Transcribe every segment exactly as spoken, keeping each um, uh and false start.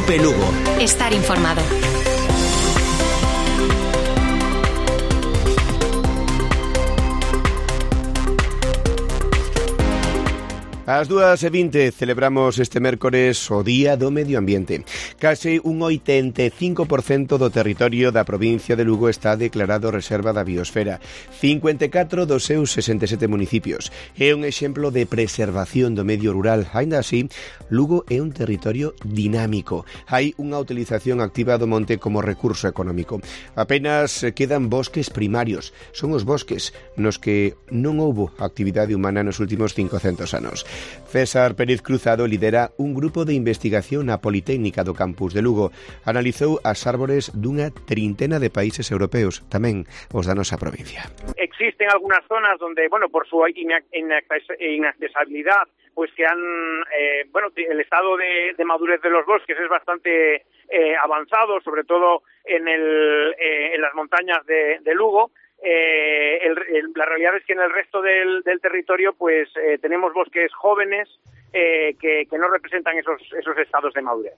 Cope Lugo. Estar informado. Ás dúas e vinte celebramos este mércores o Día do Medio Ambiente. Case un oitenta e cinco por cento do territorio da provincia de Lugo está declarado reserva da biosfera. cincuenta e catro dos seus sesenta e sete municipios. É un exemplo de preservación do medio rural. Aínda así, Lugo é un territorio dinámico. Hai unha utilización activa do monte como recurso económico. Apenas quedan bosques primarios. Son os bosques nos que non houbo actividade humana nos últimos cincocentos anos. César Pérez Cruzado lidera un grupo de investigación na Politécnica do campus de Lugo. Analizou as árbores dunha trintena de países europeos, tamén os da nosa provincia. Existen algunas zonas donde, bueno, por su inaccesibilidad, pues que han, eh, bueno, el estado de, de madurez de los bosques es bastante eh, avanzado, sobre todo en, el, eh, en las montañas de, de Lugo. Eh, el, el, la realidad es que en el resto del, del territorio pues eh, tenemos bosques jóvenes eh, que, que no representan esos, esos estados de madurez.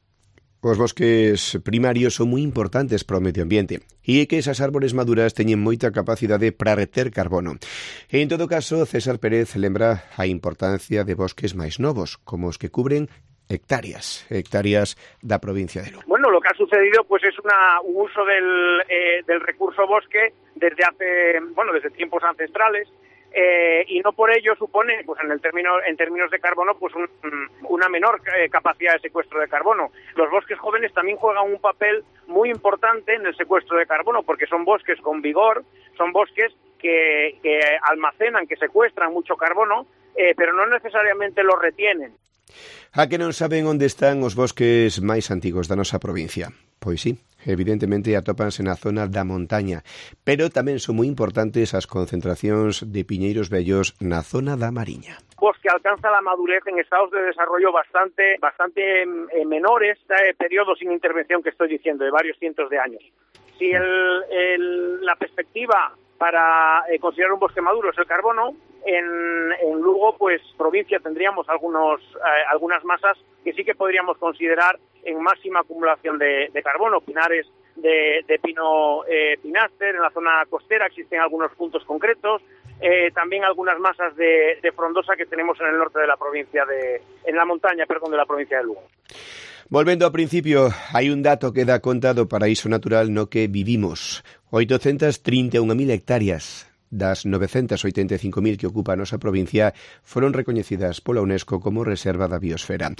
Os bosques primarios son moi importantes para o medio ambiente e é que esas árbores maduras teñen moita capacidade para reter carbono. E en todo caso, César Pérez lembra a importancia de bosques máis novos, como os que cubren hectáreas, hectáreas da provincia de Lugo. Bueno, lo que ha sucedido pues es una, un uso del, eh, del recurso bosque desde hace, bueno, desde tiempos ancestrales, eh, y no por ello supone, pues en el término, en términos de carbono, pues un, una menor eh, capacidad de secuestro de carbono. Los bosques jóvenes también juegan un papel muy importante en el secuestro de carbono, porque son bosques con vigor, son bosques que, que almacenan, que secuestran mucho carbono, eh, pero no necesariamente lo retienen. A que non saben onde están os bosques máis antigos da nosa provincia? Pois sí, evidentemente atópanse na zona da montaña, pero tamén son moi importantes as concentracións de piñeiros vellos na zona da Mariña. Bosque alcanza la madurez en estados de desarrollo bastante bastante eh, menores, este periodo sin intervención que estoy diciendo, de varios cientos de años. Si el, el, la perspectiva para eh, considerar un bosque maduro es el carbono, en, en Lugo, pues provincia, tendríamos algunos eh, algunas masas que sí que podríamos considerar en máxima acumulación de, de carbono, pinares de, de pino eh, pináster, en la zona costera existen algunos puntos concretos, eh, también algunas masas de, de frondosa que tenemos en el norte de la provincia, de en la montaña, perdón, de la provincia de Lugo. Volvendo ao principio, hai un dato que dá conta do paraíso natural no que vivimos. oitocentas trinta e unha mil hectáreas das novecentas oitenta e cinco mil que ocupa a nosa provincia foron recoñecidas pola UNESCO como reserva da biosfera.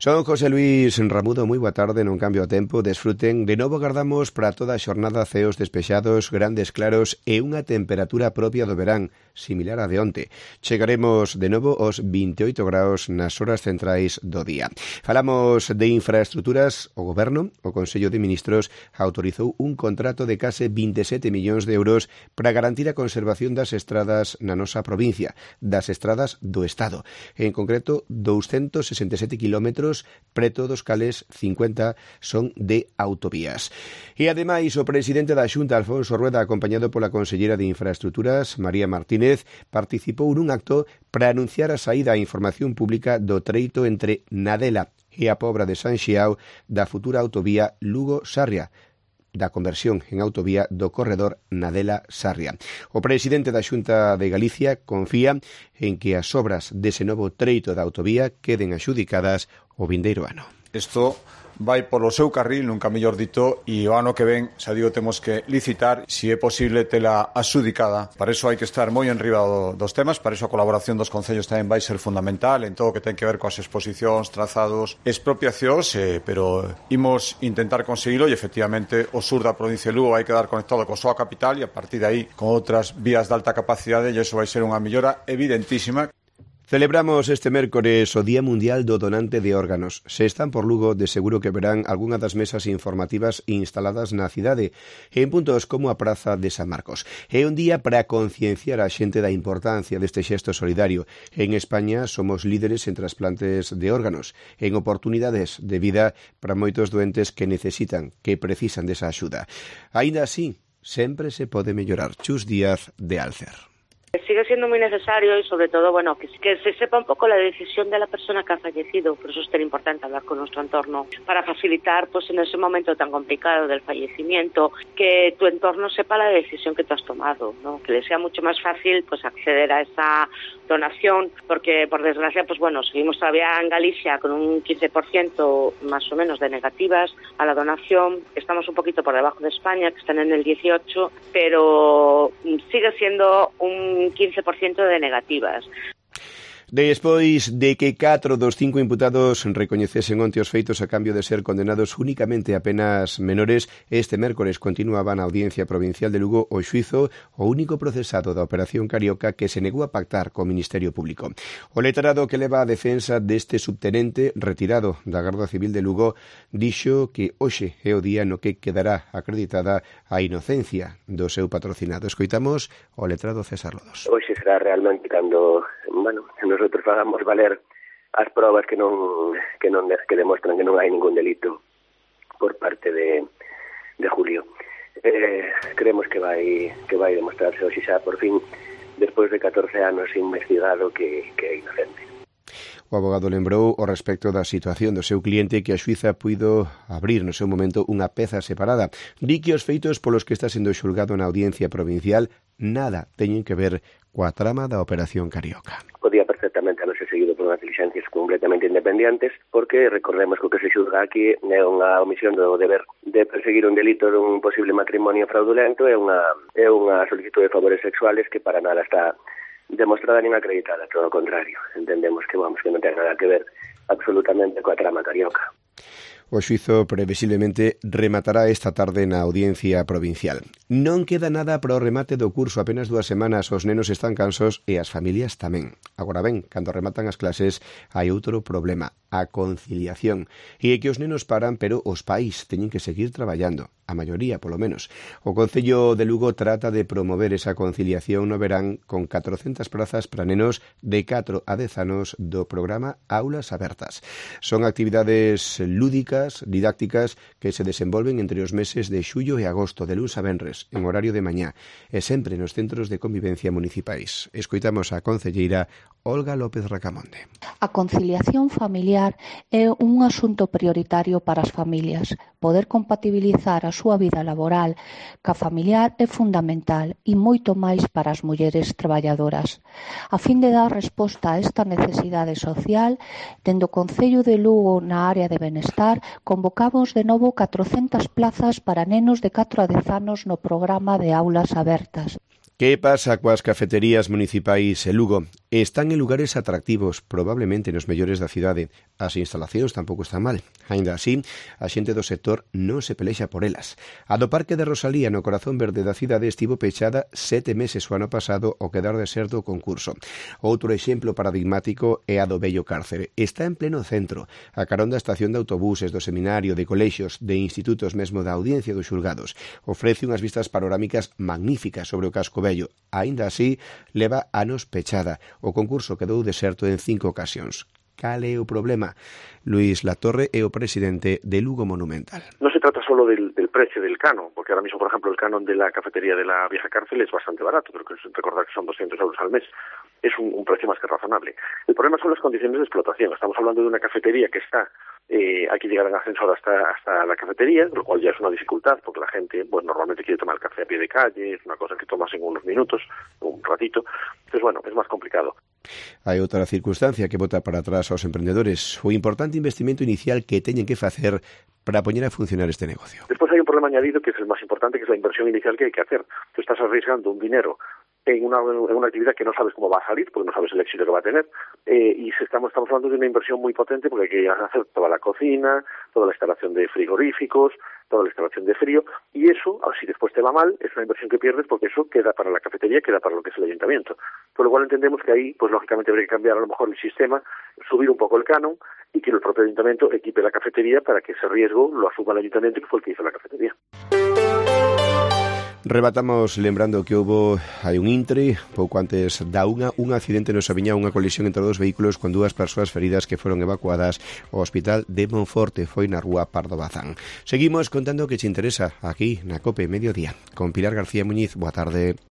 Son José Luís Ramudo, moi boa tarde, non cambio o tempo, desfruten. De novo agardamos para toda a xornada ceos despexados, grandes claros e unha temperatura propia do verán, similar a de onte. Chegaremos de novo aos vinte e oito graus nas horas centrais do día. Falamos de infraestructuras. O Goberno, o Consello de Ministros, autorizou un contrato de case vinte e sete millóns de euros para garantir a conservación das estradas na nosa provincia, das estradas do Estado. En concreto, doscientos sesenta e sete kilómetros, preto dos cales cincuenta son de autovías. E ademais, o presidente da Xunta, Alfonso Rueda, acompañado pola consellera de Infraestructuras, María Martínez, participou nun acto para anunciar a saída á información pública do treito entre Nadela e a Pobra de San Xiao da futura autovía Lugo-Sarria, da conversión en autovía do corredor Nadela-Sarria. O presidente da Xunta de Galicia confía en que as obras dese novo treito da autovía queden axudicadas o vindeiro ano. Isto vai polo seu carril, nunca mellor dito, e o ano que ven, xa digo, temos que licitar, se é posible tela axudicada. Para iso hai que estar moi enriba do, dos temas, para iso a colaboración dos concellos tamén vai ser fundamental en todo o que ten que ver coas exposicións, trazados, expropiacións, eh, pero imos intentar conseguilo e efectivamente o sur da provincia de Lugo vai quedar conectado coa súa capital e a partir de aí con outras vías de alta capacidade e iso vai ser unha mellora evidentísima. Celebramos este mércores o Día Mundial do Donante de Órganos. Se están por Lugo, de seguro que verán algunha das mesas informativas instaladas na cidade en puntos como a Praza de San Marcos. É un día para concienciar a xente da importancia deste xesto solidario. En España somos líderes en trasplantes de órganos, en oportunidades de vida para moitos doentes que necesitan, que precisan desa axuda. Aínda así, sempre se pode mellorar. Chus Díaz, de Alcer. Sigue siendo muy necesario y sobre todo, bueno, que, que se sepa un poco la decisión de la persona que ha fallecido. Por eso es tan importante hablar con nuestro entorno para facilitar, pues en ese momento tan complicado del fallecimiento, que tu entorno sepa la decisión que tú has tomado, ¿no? Que le sea mucho más fácil, pues acceder a esa donación, porque por desgracia, pues bueno, seguimos todavía en Galicia con un quince por ciento más o menos de negativas a la donación. Estamos un poquito por debajo de España, que están en el dieciocho, pero sigue siendo un quince por ciento de negativas. Despois de que catro dos cinco imputados recoñecesen onte os feitos a cambio de ser condenados únicamente a penas menores, este mércores continuaba na Audiencia Provincial de Lugo o xuízo o único procesado da Operación Carioca que se negou a pactar co Ministerio Público. O letrado que leva a defensa deste subtenente retirado da Garda Civil de Lugo dixo que hoxe é o día no que quedará acreditada a inocencia do seu patrocinado. Escoitamos o letrado César Lodos. Hoxe será realmente cando, bueno, nosotros fagamos valer as probas que non que non que demostran que non hai ningún delito por parte de de Julio. Eh, creemos que vai que vai demostrarse hoxe xa por fin, despois de catorce anos investigado, que, que é inocente. O abogado lembrou ao respecto da situación do seu cliente que a xuíza puido abrir no seu momento unha peza separada. Di que os feitos polos que está sendo xulgado na Audiencia Provincial nada teñen que ver coa trama da Operación Carioca. Podía perfectamente haberse seguido por unhas diligencias completamente independientes, porque recordemos que o que se xulga aquí é unha omisión do deber de perseguir un delito dun posible matrimonio fraudulento, é unha, é unha solicitud de favores sexuales que para nada está demostrada nin acreditada, todo o contrario. Entendemos que, vamos, que non ten nada que ver absolutamente coa trama carioca. O xuízo previsiblemente rematará esta tarde na Audiencia Provincial. Non queda nada para o remate do curso, apenas dúas semanas, os nenos están cansos e as familias tamén. Agora ben, cando rematan as clases hai outro problema, a conciliación. E é que os nenos paran, pero os pais teñen que seguir traballando, a maioría, polo menos. O Concello de Lugo trata de promover esa conciliación no verán con catrocentas prazas para nenos de catro a dez anos do programa Aulas Abertas. Son actividades lúdicas, didácticas, que se desenvolven entre os meses de xullo e agosto, de luns a venres, en horario de mañá, e sempre nos centros de convivencia municipais. Escoitamos a concelleira Olga López Racamonde. A conciliación familiar é un asunto prioritario para as familias. Poder compatibilizar a súa vida laboral ca familiar é fundamental e moito máis para as mulleres traballadoras. A fin de dar resposta a esta necesidade social, dende o Concello de Lugo na área de benestar, convocamos de novo catrocentas plazas para nenos de catro a dez anos no programa de Aulas Abertas. Que pasa coas cafeterías municipais en Lugo? Están en lugares atractivos, probablemente nos mellores da cidade. As instalacións tampouco están mal. Aínda así, a xente do sector non se pelexa por elas. A do Parque de Rosalía, no corazón verde da cidade, estivo pechada sete meses o ano pasado ao quedar deserto o concurso. Outro exemplo paradigmático é a do Vello Cárcere. Está en pleno centro, a carón da estación de autobuses, do seminario, de colexios, de institutos, mesmo da Audiencia dos Xulgados. Ofrece unhas vistas panorámicas magníficas sobre o casco vello. Aínda así, leva anos pechada. O concurso quedou deserto en cinco ocasións. Cal é o problema? Luis Latorre é o presidente de Lugo Monumental. No se trata solo del, del precio del canon, porque ahora mismo, por ejemplo, el canon de la cafetería de la vieja cárcel es bastante barato, pero que recordar que son doscientos euros al mes. Es un, un precio más que razonable. El problema son las condiciones de explotación. Estamos hablando de una cafetería que está, eh, hay que llegar en ascensor hasta, hasta la cafetería, lo cual ya es una dificultad, porque la gente, pues normalmente quiere tomar el café a pie de calle, es una cosa que tomas en unos minutos, un ratito. Entonces, bueno, es más complicado. Hai outra circunstancia que bota para atrás aos emprendedores, o importante investimento inicial que teñen que facer para poñer a funcionar este negocio. Despois hai un problema añadido que é el máis importante, que é a inversión inicial que hai que hacer. Tú estás arriesgando un dinero en una, en una actividad que no sabes cómo va a salir, porque no sabes el éxito que va a tener, eh, y se estamos, estamos hablando de una inversión muy potente, porque hay que hacer toda la cocina, toda la instalación de frigoríficos, toda la instalación de frío, y eso, si después te va mal, es una inversión que pierdes, porque eso queda para la cafetería, queda para lo que es el ayuntamiento. Por lo cual entendemos que ahí, pues lógicamente habría que cambiar a lo mejor el sistema, subir un poco el canon, y que el propio ayuntamiento equipe la cafetería para que ese riesgo lo asuma el ayuntamiento, que fue el que hizo la cafetería. Rebatamos lembrando que houbo hai un intre, pouco antes da unha, un accidente no Sabiñá, unha colisión entre dous vehículos con dúas persoas feridas que foron evacuadas ao hospital de Monforte, foi na rúa Pardo Bazán. Seguimos contando o que te interesa aquí na COPE Mediodía. Con Pilar García Muñiz, boa tarde.